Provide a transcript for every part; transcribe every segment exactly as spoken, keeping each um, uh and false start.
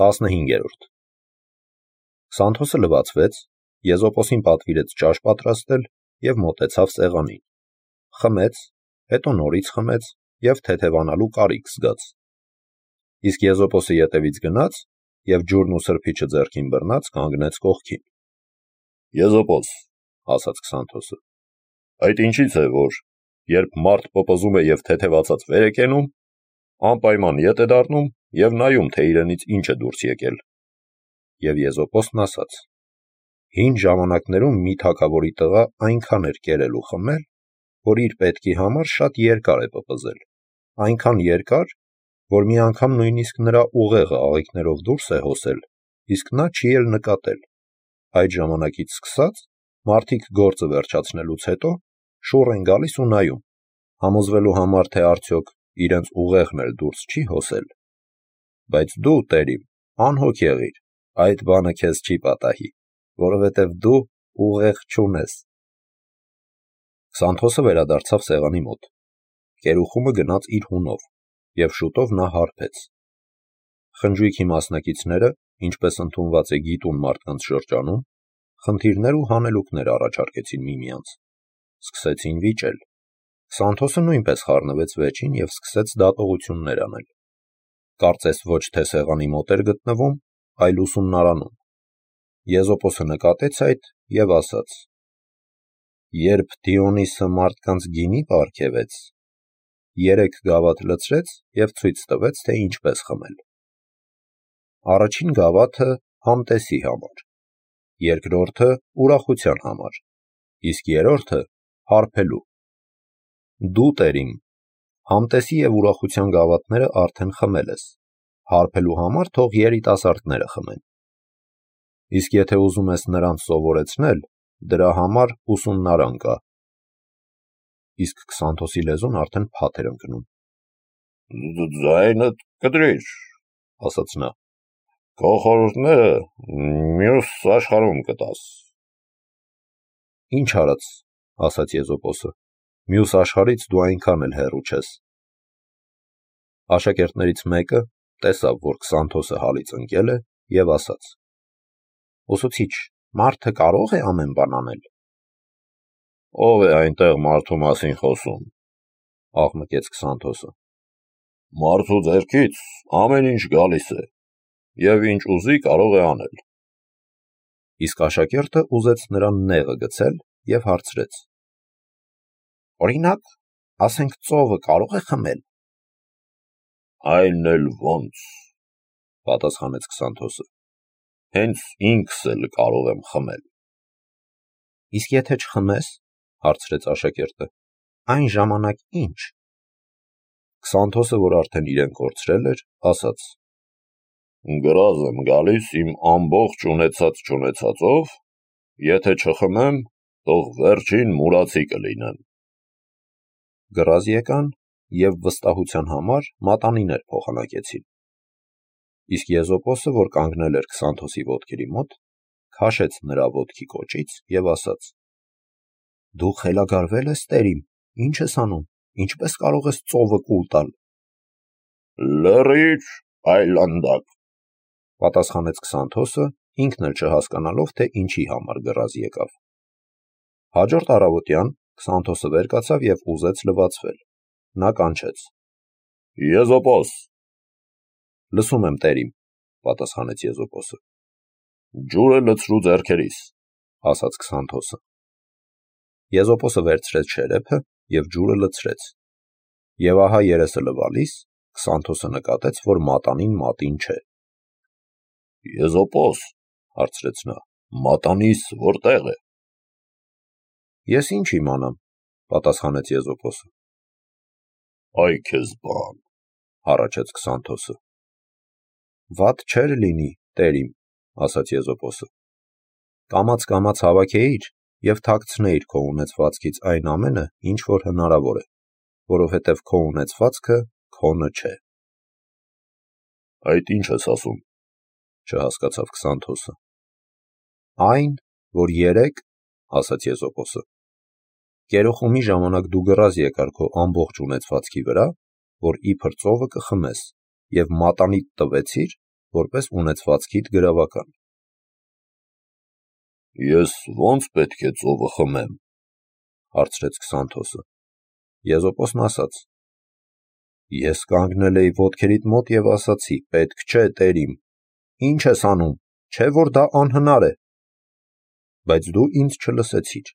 տասնհինգերորդ Քսանթոսը լվացվեց, Եզոպոսին պատվիրեց ճաշ պատրաստել և մոտեցավ սեղանին, խմեց, հետո նորից խմեց և թեթևանալու կարիք զգաց, իսկ Եզոպոսը ետևից գնաց և ջուրն ու սրբիչը ձեռքին բռնած կանգնեց կողքին։ Եզոպոս, ասաց Քսանթոսը, այդ ինչից է, որ երբ մարդ պպզում է և թեթևացած վեր է կենում, անպայման ետ է դառնում և նայում, թե իրենից ինչ է դուրս եկել։ Եվ Եզոպոսն ասաց. Հին ժամանակներում մի թագավորի տղա այնքան էր կերել ու խմել, որ իր պետքի համար շատ երկար է պպզել, այնքան երկար, որ մի անգամ նույնիսկ նրա ուղեղը աղիքներով դուրս է հոսել, իսկ նա չի էլ նկատել։ Այդ ժամանակից սկսած մարդիկ գործը վերջացնելուց հետո շուռ են գալիս ու նայում, համոզվելու համար, թե արդյոք իրենց ուղեղն էլ դուրս չի հոսել։ Բայց դու, տերիմ, անհոգ եղիր, այդ բանը քեզ չի պատահի, որովհետև դու ուղեղ չունես։ Քսանթոսը վերադարձավ սեղանի մոտ, կերուխումը գնաց իր հունով, և շուտով նա հարբեց։ Խնջույքի մասնակիցները, ինչպես ընդունված է գիտուն մարդկանց շրջանում, խնդիրներ ու հանելուկներ առաջարկեցին միմյանց, սկսեցին վիճել։ Քսանթոսը նույնպես խառնվեց վերջին և սկսեց դատողություններ անել։ Կարծես ոչ թե սեղանի մոտ էր գտնվում, այլ ուսումնարանում։ Եզոպոսը նկատեց այդ և ասաց. Երբ Դիոնիսը մարդկանց գինի պարգևեց, երեք գավաթ լցրեց և ցույց տվեց, թե ինչպես խմել։ Առաջին գավաթը համտեսի համար, երկրորդը ուրախության համար, իսկ երրորդը հարբելու։ Դու, տերիմ, համտեսի և ուրախության գավաթները արդեն խմել ես, հարբելու համար թող երիտասարդները խմեն։ Իսկ եթե ուզում ես նրանց սովորեցնել, դրա համար ուսումնարան կա։ Իսկ Քսանթոսի լեզուն արդեն փաթ էր ընկնում։ Ձայնդ կտրիր, ասաց նա։ Քո խորհուրդները մյուս աշխարհում կտաս։ Ինչ արած, ասաց Եզոպոսը, մյուս աշխարհից դու այնքան էլ հեռու չես։ Աշակերտներից մեկը տեսավ, որ Քսանթոսը հալից ընկել է, և ասաց. Ուսուցիչ, մարդը կարո՞ղ է ամեն բան անել։ Ո՞վ է այնտեղ մարդու մասին խոսում, աղմկեց Քսանթոսը։ Մարդու ձեռքից ամեն ինչ գալիս է, և ինչ ուզի կարող է անել։ Իսկ աշակերտը ուզեց նրան նեղը գցել և հարցրեց. Օրինակ, ասենք ծովը կարո՞ղ է խմել։ Այն էլ ոնց, պատասխանեց Քսանթոսը։ Հենց ինքս էլ կարող եմ խմել։ Իսկ եթե չխմես, հարցրեց աշակերտը, այն ժամանակ ինչ։ Քսանթոսը, որ արդեն իրեն կորցրել էր, ասաց. Գրազ եմ գալիս իմ ամբողջ ունեցած չունեցածով, եթե չխմեմ, թող վերջին մուրացի կլինեմ։ Գրազ եկան և վստահության համար մատանիներ փոխանակեցին։ Իսկ Եզոպոսը, որ կանգնել էր Քսանթոսի ոտքերի մոտ, քաշեց նրա ոտքի կոճից և ասաց. Դու խելագարվել ես, տերիմ, ինչ ես անում, ինչպես կարող ես ծովը կուլ տալ։ Լռիր, այլանդակ, պատասխանեց Քսանթոսը, ինքն էլ չհասկանալով, թե ինչի համար գրազ եկավ։ Հաջորդ առավոտյան Քսանթոսը վեր կացավ և ուզեց լվացվել։ Նա կանչեց. Եզոպոս։ Լսում եմ, տերիմ, պատասխանեց Եզոպոսը։ Ջուրը լցրու ձեռքերիս, ասաց Քսանթոսը։ Եզոպոսը վերցրեց շերեփը և ջուրը լցրեց։ Եվ ահա երեսը լվալիս Քսանթոսը նկատեց, որ մատանին մատին չէ։ Եզոպոս, հարցրեց նա, մատանիս որտեղ է։ Ես ինչ իմանամ, պատասխանեց Եզոպոսը։ Այ քեզ բան, հառաչեց Քսանթոսը։ Վատ չէր լինի, տերիմ, ասաց Եզոպոսը։ Կամաց-կամաց հավաքեիր և թաքցնեիր քո ունեցվածքից այն ամենը, ինչ որ հնարավոր է, որովհետև քո ունեցվածքը քոնը չէ։ Այդ ինչ ես ասում, չհասկացավ Քսանթոսը։ Այն, որ երեկ, ասաց Եզոպոսը, կերոխումի ժամանակ դու գրազ եկար քո ամբողջ ունեցվածքի վրա, որ իբր ծովը կխմես, և մատանիդ տվեցիր, որպես ունեցվածքիդ գրավական։ Ես ո՞նց պետք է ծովը խմեմ, հարցրեց Քսանթոսը։ Եզոպոսն ասաց. Ես կանգնել էի ոտքերիդ մոտ և ասացի. պետք չէ, տեր իմ, ինչ ես անում, չէ որ դա անհնար է, բայց դու ինձ չլսեցիր։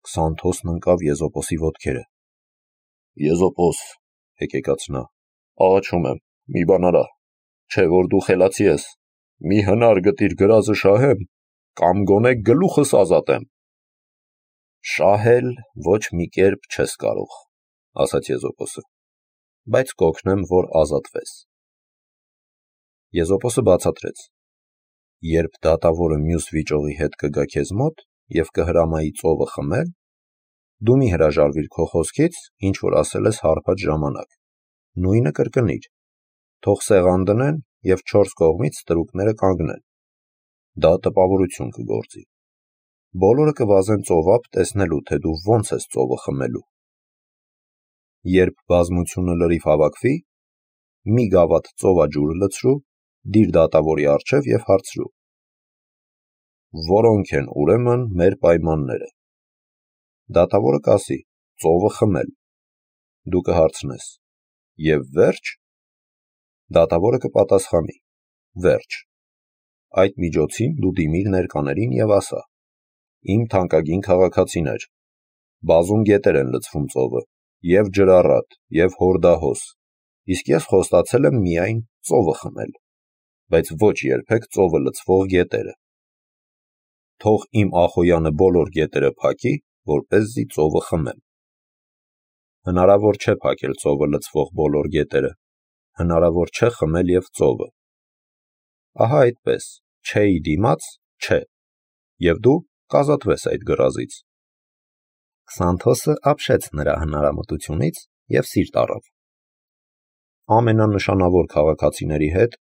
Քսանթոսն ընկավ Եզոպոսի ոտքերը։ Եզոպոս, հեկեկաց նա, աղաչում եմ, մի բան արա, չէ որ դու խելացի ես, մի հնար գտիր գրազը շահեմ, կամ գոնե գլուխս ազատեմ։ Շահել ոչ մի կերպ չես կարող, ասաց Եզոպոսը, բայց կօգնեմ, որ ազատվես։ Եզոպոսը բացատրեց. երբ դատավորը մյուս վիճողի հետ կգա քեզ մոտ և կհրամայի ծովը խմել, դու մի հրաժարվիր քո խոսքից, ինչ որ ասել ես հարբած ժամանակ, նույնը կրկնիր, թող սեղան դնեն և չորս կողմից ստրուկները կանգնեն։ Դա տպավորություն կգործի։ Բոլորը կվազեն ծովափ տեսնելու, թե դու ոնց ես ծովը խմելու։ Երբ բազմությունը լրիվ հավաքվի, մի գավաթ ծովաջուր լցրու, դիր դատավորի առջև և հարցրու. որոնք են ուրեմն մեր պայմանները։ Դատավորը կասի. ծովը խմել։ Դու կհարցնես. և վերջ։ Դատավորը կպատասխանի. վերջ։ Այդ միջոցին դու դիմիր ներկաներին և ասա. իմ թանկագին քաղաքացիներ, բազում գետեր են լցվում ծովը, և ջրառատ, և հորդահոս, իսկ ես խոստացել եմ միայն ծովը խմել, բայց ոչ երբեք ծովը լցվող գետերը։ Թող իմ ախոյանը բոլոր գետերը փակի, որպեսզի ծովը խմեմ։ Հնարավոր չէ փակել ծովը լցվող բոլոր գետերը, հնարավոր չէ խմել և ծովը։ Ահա այդպես, չէի դիմաց, չէ, և դու կազատվես այդ գրազից։ Քսանթոսը ապշեց նրա հնարամտությունից և սիրտ առավ։ Ամենանշանավոր քաղաքացիների հետ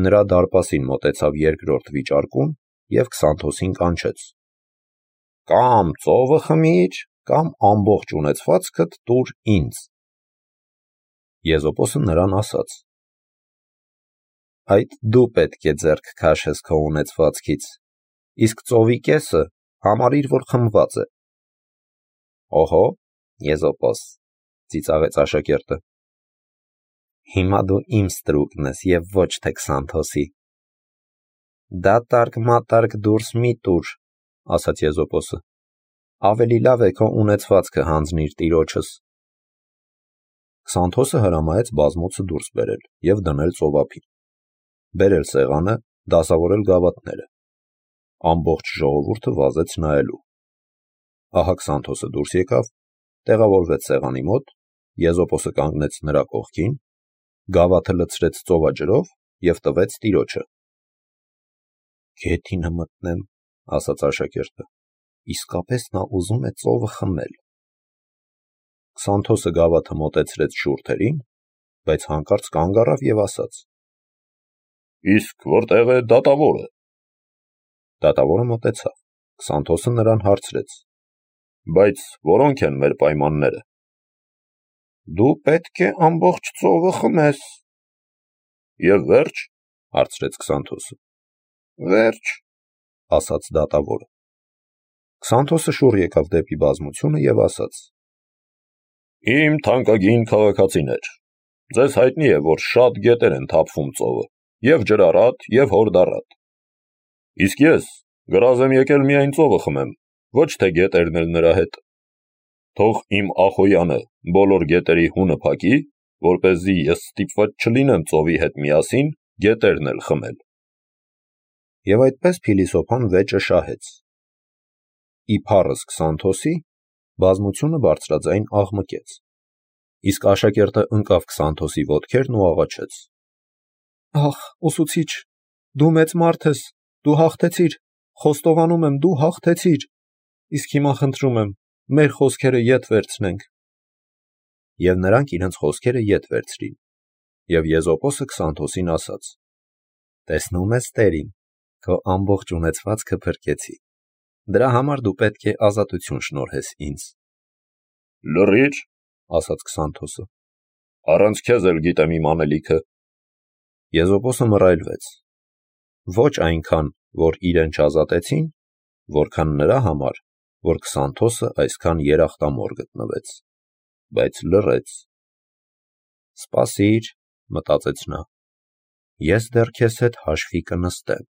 նրա դարպասին մոտեցավ երկրորդ վիճարկուն և Քսանթոսին կանչեց. կամ ծովը խմիր, կամ ամբողջ ունեցվածքդ տուր ինձ։ Եզոպոսը նրան ասաց. այդ դու պետք է ձեռք քաշես քո ունեցվածքից, իսկ ծովի կեսը համարիր, որ խմված է։ Օհո, Եզոպոս, ծիծաղեց աշակերտը, հիմա դու իմ ստրուկն ես և ոչ թե Քսանթոսի։ Դատարկ-մատարկ դուրս մի տուր, ասաց Եզոպոսը, ավելի լավ է քո ունեցվածքը հանձնիր տիրոջս։ Քսանթոսը հրամայեց բազմոցը դուրս բերել և դնել ծովափին, բերել սեղանը, դասավորել գավաթները։ Ամբողջ ժողովուրդը վազեց նայելու։ Ահա Քսանթոսը դուրս եկավ, տեղավորվեց սեղանի մոտ, Եզոպոսը կանգնեց նրա կողքին, գավաթը լցրեց ծովաջրով և տվեց տիրոջը։ Գեթինը մտնեմ, ասաց աշակերտը, իսկապես նա ուզում է ծովը խմել։ Քսանթոսը գավաթը մոտեցրեց շուրթերին, բայց հանկարծ կանգ առավ և ասաց. իսկ որտեղ է դատավորը։ Դատավորը մոտեցավ, Քսանթոսը նրան հարցրեց. բայց որոնք են մեր պայմանները։ Դու պետք է ամբողջ ծովը խմես։ Եվ վերջ, հարցրեց Քսանթոսը։ Վերջ, ասաց դատավորը։ Քսանթոսը շուռ եկավ դեպի բազմությունը և ասաց. իմ թանկագին քաղաքացիներ, ձեզ հայտնի է, որ շատ գետեր են թափվում ծովը, և ջրառատ, և հորդառատ։ Իսկ ես գրազ եմ եկել միայն ծովը խմեմ, ոչ թե գետերն էլ նրա հետ։ Թող իմ ախոյանը բոլոր գետերի հունը փակի, որպեսզի ես ստիպված չլինեմ ծովի հետ միասին գետերն էլ խմել։ Եվ այդպես փիլիսոփան վեճը շահեց։ Իբարս Քսանթոսի բազմությունը բարձրաձայն աղմկեց, իսկ աշակերտը ընկավ Քսանթոսի ոտքերն ու աղաչեց. Ախ, ուսուցիչ, դու մեծ մարդ ես, դու հաղթեցիր, խոստովանում եմ, դու հաղթեցիր, իսկ հիմա խնդրում եմ, մեր խոսքերը ետ վերցնենք։ Եվ նրանք իրենց խոսքերը ետ վերցրին, և Եզոպոսը Քսանթոսին ասաց. տեսնում ես, տեր իմ, քո ամբողջ ունեցվածքը փրկեցի, դրա համար դու պետք է ազատություն շնորհես ինձ։ Լռիր, ասաց Քսանթոսը, առանց քեզ էլ գիտեմ իմ անելիքը։ Եզոպոսը մռայլվեց. ոչ այնքան, որ իրեն չազատեցին, որքան նրա համար, որ Քսանթոսը այսքան երախտամոռ գտնվեց, բայց լռեց։ «Սպասիր», մտածեց նա, ես դեռ քեզ հետ հաշվի կնստեմ։